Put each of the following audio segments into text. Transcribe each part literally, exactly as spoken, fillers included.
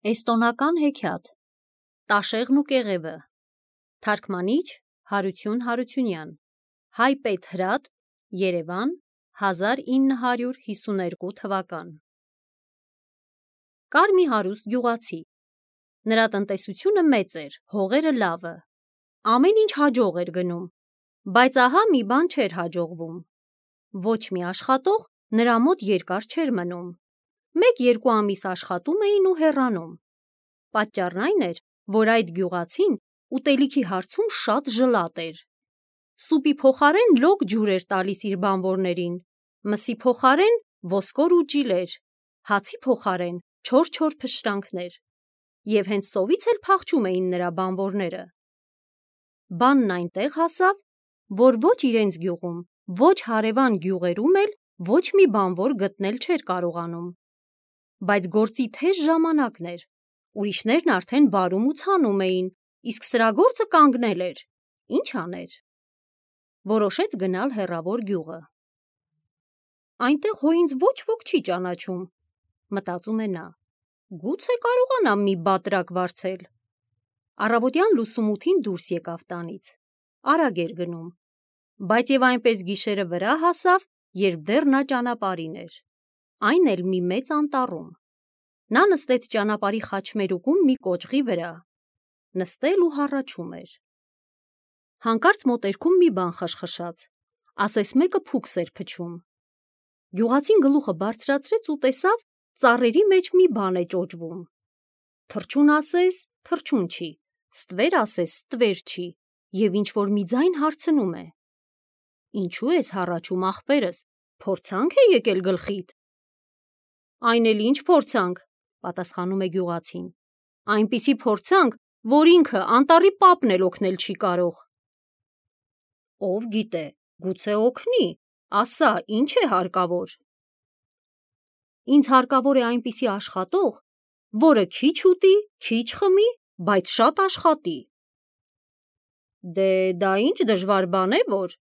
Էստոնական հեքիաթ Տաշեղն ու կեղևը Թարգմանիչ Հարություն Հարությունյան Հայպետ Հրատ Երևան հազար ինը հարյուր հիսուներկու թվական Կար մի հարուստ գյուղացի։ Նրա տնտեսությունը մեծ էր, հողերը լավը, ամեն ինչ հաջող էր գնում, բայց ահա մի բան չէր հաջողվում։ Ոչ մի աշխատող նրա մոտ երկար չէր մնում։ Մեկ-երկու ամիս աշխատում էին ու հեռանում։ Պատճառն այն էր, որ այդ գյուղացին ուտելիքի հարցում շատ ժլատ էր։ Սուպի փոխարեն լոկ ջուր էր տալիս իր բանվորներին, մսի փոխարեն ոսկոր ու ջիլեր, հացի փոխարեն չոր-չոր փշրանքներ, և հենց սովից էլ փախչում էին նրա բանվորները։ Բանն այնտեղ հասավ, որ ոչ իրենց գյուղում, ոչ հարևան գյուղերում էլ ոչ մի բանվոր գտնել չէր կարողանում։ Բայց գործի թեժ ժամանակն էր, ուրիշներն արդեն վարում ու ցանում էին, իսկ սրա գործը կանգնել էր, ինչ աներ։ Որոշեց գնալ հեռավոր գյուղը։ Այնտեղ հո ինձ ոչ ոք չի ճանաչում, մտածում է նա, գուցե կարողանամ մի բատրակ վարձել։ Առավոտյան լուսումութին դուրս եկավ տանից, արագ էր գնում, բայց և այնպես գիշերը վրա հասավ, երբ դեռ նա ճանապարհին էր, այն էլ մի մեծ անտառում։ Նա նստեց ճանապարհի խաչմերուկում մի կոճղի վրա, նստել ու հառաչում էր։ Հանկարծ մոտերքում մի բան խշխշաց, ասես մեկը փուքս էր փչում։ Գյուղացին գլուխը բարձրացրեց ու տեսավ ծառերի մեջ մի բան է ճոճվում։ Թռչուն ասես թռչուն չի, ստվեր ասես ստվեր չի, և ինչ-որ մի ձայն հարցնում է. «Ինչու ես հառաչում, ախպերս, փորձանք է եկել գլխիդ»։ «Այն էլ ինչ փորձանք», պատասխանում է գյուղացին, «այնպիսի փորձանք, որ ինքը անտառի պապն էլ օգնել չի կարող»։ «Ով գիտե, գուցե օգնի, ասա, ինչ է հարկավոր»։ «Ինձ հարկավոր է այնպիսի աշխատող, որը քիչ ուտի, քիչ խմի, բայց շատ աշխատի»։ «Դե դա ինչ դժվար բան է, որ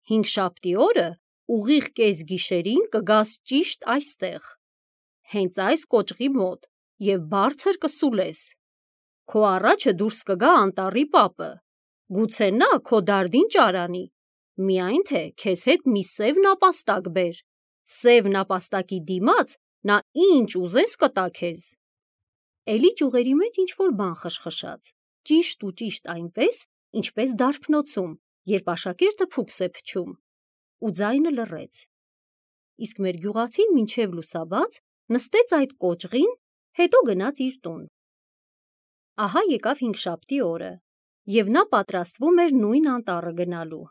հինգշաբթի օրը ուղիղ կեսգիշերին կգաս ճիշտ այստեղ, հենց այս կոճղի մոտ և բարձր կսուլես։ Քո առաջը դուրս կգա անտառի պապը, գուցե նա քո դարդին ճարանի, միայն թե քեզ հետ մի սև նապաստակ բեր, սև նապաստակի դիմաց նա ինչ ուզես կտա քեզ»։ Էլի ճյուղերի մեջ ինչ-որ բան խշխշաց, ճիշտ ու ճիշտ այնպես, ինչպես դարբնոցում, երբ աշակերտը փուքս է փչում, ու ձայնը լռեց։ Իսկ մեր գյուղացին մինչև լուսաբաց նստեց այդ կոճղին, հետո գնաց իր տուն։ Ահա եկավ հինգշաբթի օրը, և նա պատրաստվում էր նույն անտառը գնալու։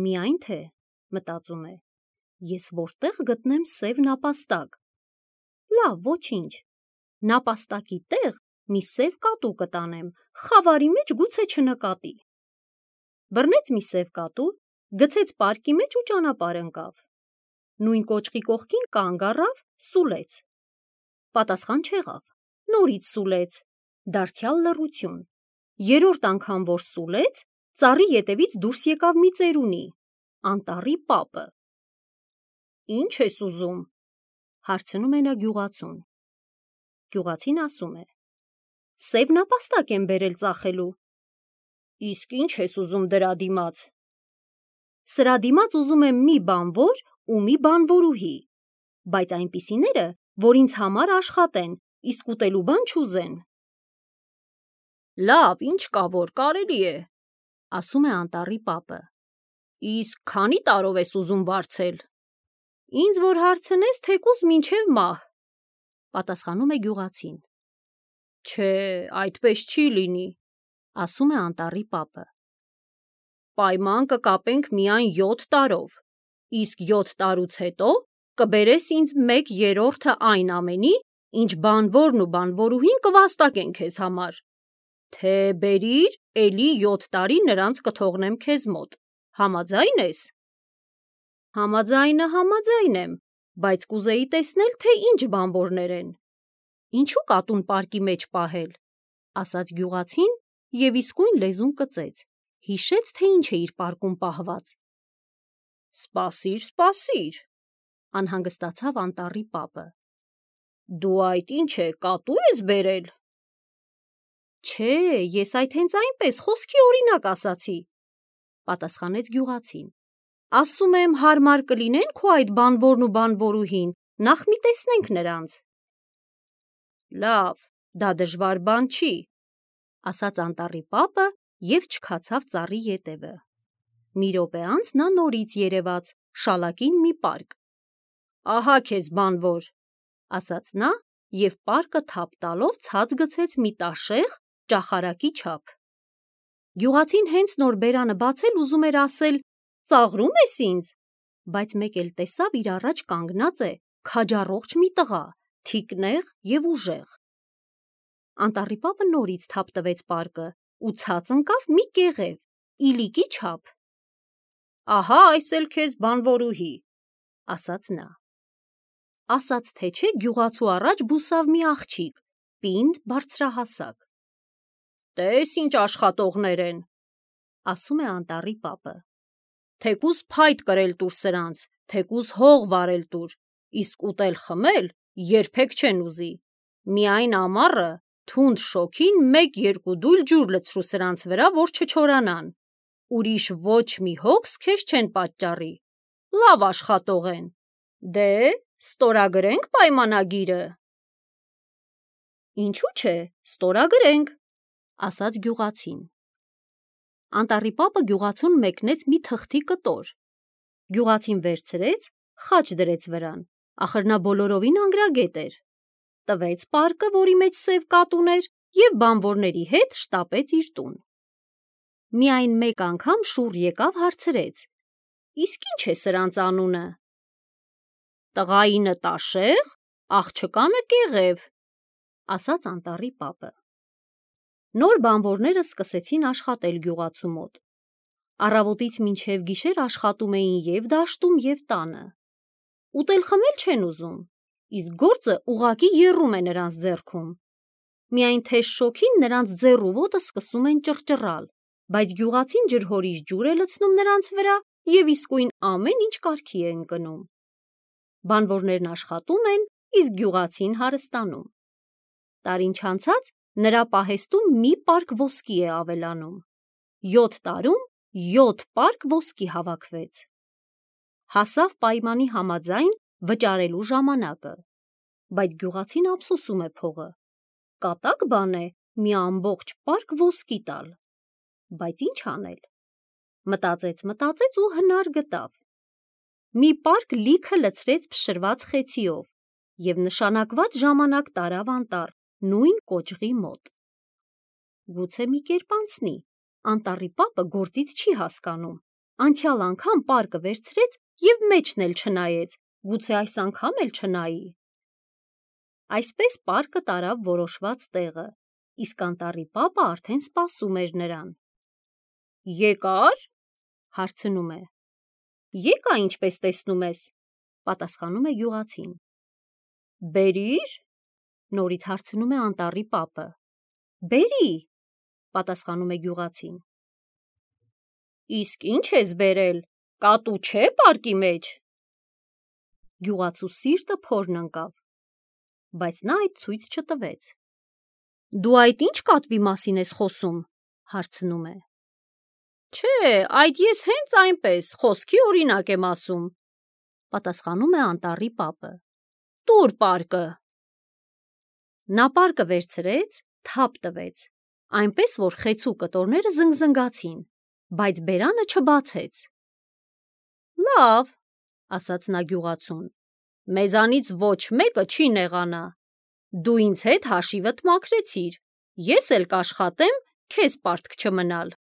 Միայն թե, մտածում է, ես որտե՞ղ գտնեմ սև նապաստակ։ Լավ, ոչինչ, նապաստակի տեղ մի սև կատու կտանեմ, խավարի մեջ գուցե չնկատի։ Բռնեց մի սև կատու, գցեց պարկի մեջ ու ճանապարհ ընկավ։ Նույն կոճղի կողքին կանգ առավ, սուլեց։ Պատասխան չեղավ, նորից սուլեց, դարձյալ լռություն։ Երրորդ անգամ որ սուլեց, ծառի ետևից դուրս եկավ մի ծերունի, անտառի պապը։ «Ինչ ես ուզում», հարցնում է նա գյուղացուն։ Գյուղացին ասում է. «Սև նապաստակ եմ բերել ծախելու»։ «Իսկ ինչ ես ուզում դրա դիմաց»։ «Սրա դիմաց ուզում եմ մի բանվոր ու մի բանվորուհի, բայց այնպիսիները, որ ինձ համար աշխատեն, իսկ ուտելու բան չուզեն»։ «Լավ, ինչ կա, որ կարելի է», ասում է անտառի պապը։ «Իսկ քանի տարով ես ուզում վարձել»։ «Ինձ որ հարցնես, թեկուզ մինչև մահ», պատասխանում է գյուղացին։ «Չէ, այդպես չի լինի», ասում է անտառի պապը։ «Պայման կկապենք միայն յոթ տարով, իսկ յոթ տարուց հետո կբերես ինձ մեկ երրորդը այն ամենի, ինչ բանվորն ու բանվորուհին կվաստակեն քեզ համար, թե բերիր, էլի յոթ տարի նրանց կթողնեմ քեզ մոտ, համաձա՞յն ես»։ «Համաձայնը համաձայն եմ, բայց կուզեի տեսնել, թե ինչ բանվորներ են։ Ինչու կատուն պարկի մեջ պահել», ասաց գյուղացին և իսկույն լեզուն կծեց, հիշեց, թե ինչ է իր պարկում պահված։ «Սպասիր, սպասիր», անհանգստացավ անտառի պապը։ Դու այդ ինչ է, կատու ես բերել։ Չէ, ես այդ հենց այնպես խոսքի օրինակ ասացի, պատասխանեց գյուղացին։ Ասում եմ, հարմար կլինեն քո այդ բանվորն ու բանվորուհին, նախ մի տեսնենք նրանց։ Լավ, դա դժվար բան չի, ասաց անտառի պապը և չքացավ ծառի ետևը։ Մի րոպե անց նա նորից երևաց, շալակին մի պարկ։ Ահա քեզ բանվոր, ասաց նա և պարկը թափ տալով ցած գցեց մի տաշեղ ճախարակի չափ։ Գյուղացին հենց նոր բերանը բացել ուզում էր ասել ծաղրում ես ինձ, բայց մեկ էլ տեսավ իր առաջ կանգնած է քաջառողջ մի տղա, թիկնեղ և ուժեղ։ Անտառի պապը նորից թափ տվեց պարկը ու ցած ընկավ մի կեղև, իլիկի չափ։ Ահա այս էլ քեզ բանվորուհի, ասաց նա։ Ասաց թե չէ գյուղացու առաջ բուսավ մի աղջիկ, պինդ, բարձրահասակ։ Տես ինչ աշխատողներ են, ասում է անտառի պապը։ Թեկուզ փայտ կրել տուր սրանց, թեկուզ հող վարել տուր, իսկ ուտել խմել երբեք չեն ուզի։ Միայն ամառը թունդ շոգին մեկ-երկու դույլ ջուր լցրու սրանց վրա, որ չչորանան։ Ուրիշ ոչ մի հոգս քեզ չեն պատճառի։ Լավ աշխատող են։ Դե, ստորագրենք պայմանագիրը։ Ինչու՞ չէ, ստորագրենք, ասաց գյուղացին։ Անտառի պապը գյուղացուն մեկնեց մի թղթի կտոր։ Գյուղացին վերցրեց, խաչ դրեց վրան, ախր նա բոլորովին անգրագետ էր։ Տվեց պարկը, որի մեջ սև կատուն էր, և բանվորների հետ շտապեց իր տուն։ Միայն մեկ անգամ շուռ եկավ հարցրեց. Իսկ ի՞նչ է սրանց անունը։ Տղայինը տաշեղ, աղջկանը կեղև, ասաց անտառի պապը։ Նոր բանվորները սկսեցին աշխատել գյուղացու մոտ։ Առավոտից մինչև գիշեր աշխատում էին և դաշտում, և տանը։ Ուտել խմել չեն ուզում, իսկ գործը ուղղակի եռում է նրանց ձեռքում։ Միայն թեժ շոգին նրանց ձեռ ու ոտը սկսում են ճռճռալ, բայց գյուղացին ջրհորիչ ջուր է լցնում նրանց վրա և իսկույն ամեն ինչ կարգի է ընկնում։ Բանվորներն աշխատում են, իսկ գյուղացին հարստանում։ Տարին չանցած նրա պահեստում մի պարկ ոսկի է ավելանում։ Յոթ տարում յոթ պարկ ոսկի հավաքվեց։ Հասավ պայմանի համաձայն վճարելու ժամանակը, բայց գյուղացին ափսոսում է փողը։ Կատակ բան է մի ամբողջ պարկ ոսկի տալ։ Բայց ինչ անել։ Մտածեց, մտածեց ու հնար գտավ։ Մի պարկ լիքը լցրեց փշրված խեցիով և նշանակված ժամանակ տարավ անտառ, նույն կոճղի մոտ։ Գուցե մի կերպ անցնի, անտառի պապը գործից չի հասկանում։ Անցյալ անգամ պարկը վերցրեց և մեջն էլ չնայեց, գուցե այս անգամ էլ չնայի։ Այսպես պարկը տարավ որոշված տեղը, իսկ անտառի պապը արդեն սպասում էր նրան։ Եկա՞ր, հարցնում է։ Եկա, ինչպես տեսնում ես, պատասխանում է գյուղացին։ Բերի՞ր, նորից հարցնում է անտառի պապը։ Բերի, պատասխանում է գյուղացին։ Իսկ ինչ ես բերել, կատու չէ՞ պարկի մեջ։ Գյուղացու սիրտը փորն ընկավ, բայց նա այդ ցույց չտվեց։ Դու այդ ի՞նչ կատվի մասին ես խոսում, հարցնում է։ Չէ, այդ ես հենց այնպես խոսքի օրինակ եմ ասում, պատասխանում է անտառի պապը։ Տուր պարկը։ Նա պարկը վերցրեց, թափ տվեց, այնպես որ խեցու կտորները զնգզնգացին, բայց բերանը չբացեց։ Լավ, ասաց նա գյուղացուն, մեզանից ոչ մեկը չի նեղանա։ Դու ինձ հետ հաշիվդ մաքրեցիր, ես էլ կաշխատեմ քեզ պարտք չմնալ։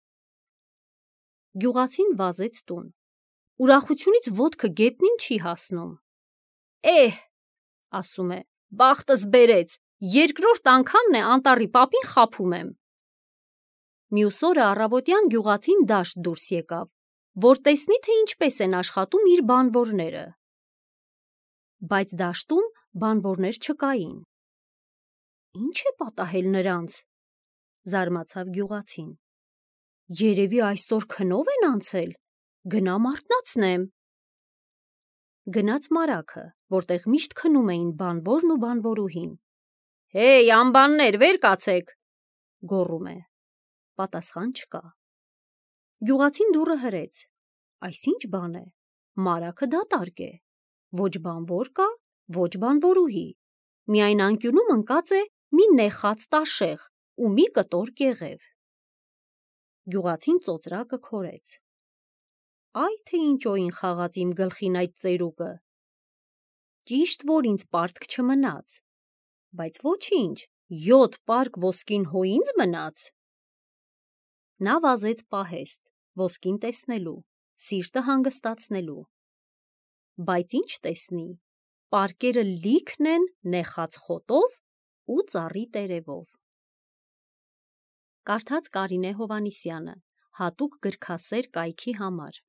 Գյուղացին վազեց տուն։ Ուրախությունից ոտքը գետնին չի հասնում։ Էհ, ասում է, բախտս բերեց, երկրորդ անգամն է անտառի պապին խաբում եմ։ Մյուս օրը առավոտյան գյուղացին դաշտ դուրս եկավ, որ տեսնի, թե ինչպես են աշխատում իր բանվորները։ Բայց դաշտում բանվորներ չկային։ Ինչ է պատահել նրանց, զարմացավ գյուղացին։ Երևի այսօր քնով են անցել, գնամ արթնացնեմ։ Գնաց մարագը, որտեղ միշտ քնում էին բանվորն ու բանվորուհին։ «Հեյ, անբաններ, վեր կացեք», գոռում է։ Պատասխան չկա։ Գյուղացին դուռը հրեց։ Այս ինչ բան է, մարագը դատարկ է, ոչ բանվոր կա, ոչ բանվորուհի, միայն անկյունում ընկած է մի նեխած տաշեղ ու մի կտոր կեղև։ Գյուղացին ծոծրակը քորեց։ Այ թե ինչ օին խաղաց իմ գլխին այդ ծերուկը։ Ճիշտ որ ինձ պարտք չմնաց, բայց ոչինչ, յոթ պարկ ոսկին հո ինձ մնաց։ Նա վազեց պահեստ, ոսկին տեսնելու, սիրտը հանգստացնելու։ Բայց ինչ տեսնի, պարկերը լիքն են նեխած խոտով ու ծառի տերևով։ Կարդաց Կարինե Հովհաննիսյանը, հատուկ գրքասեր կայքի համար։